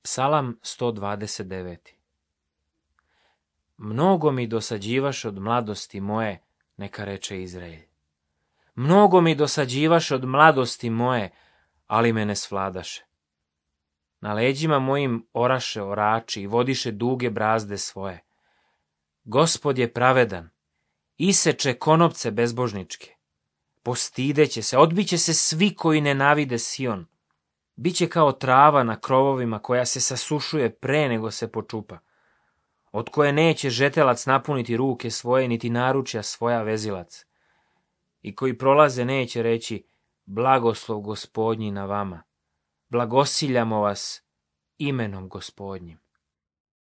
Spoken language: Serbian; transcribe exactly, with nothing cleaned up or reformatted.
Psalam sto dvadeset devet. Mnogo mi dosađivaš od mladosti moje, neka reče Izrael. Mnogo mi dosađivaš od mladosti moje, ali me ne svladaše. Na leđima mojim oraše orači i vodiše duge brazde svoje. Gospod je pravedan, iseče konopce bezbožničke. Postideće se, odbiće se svi koji nenavide Sion. Biće kao trava na krovovima koja se sasušuje pre nego se počupa, od koje neće žetelac napuniti ruke svoje, niti naručja svoja vezilac. I koji prolaze neće reći, blagoslov Gospodnji na vama, blagosiljamo vas imenom Gospodnjim.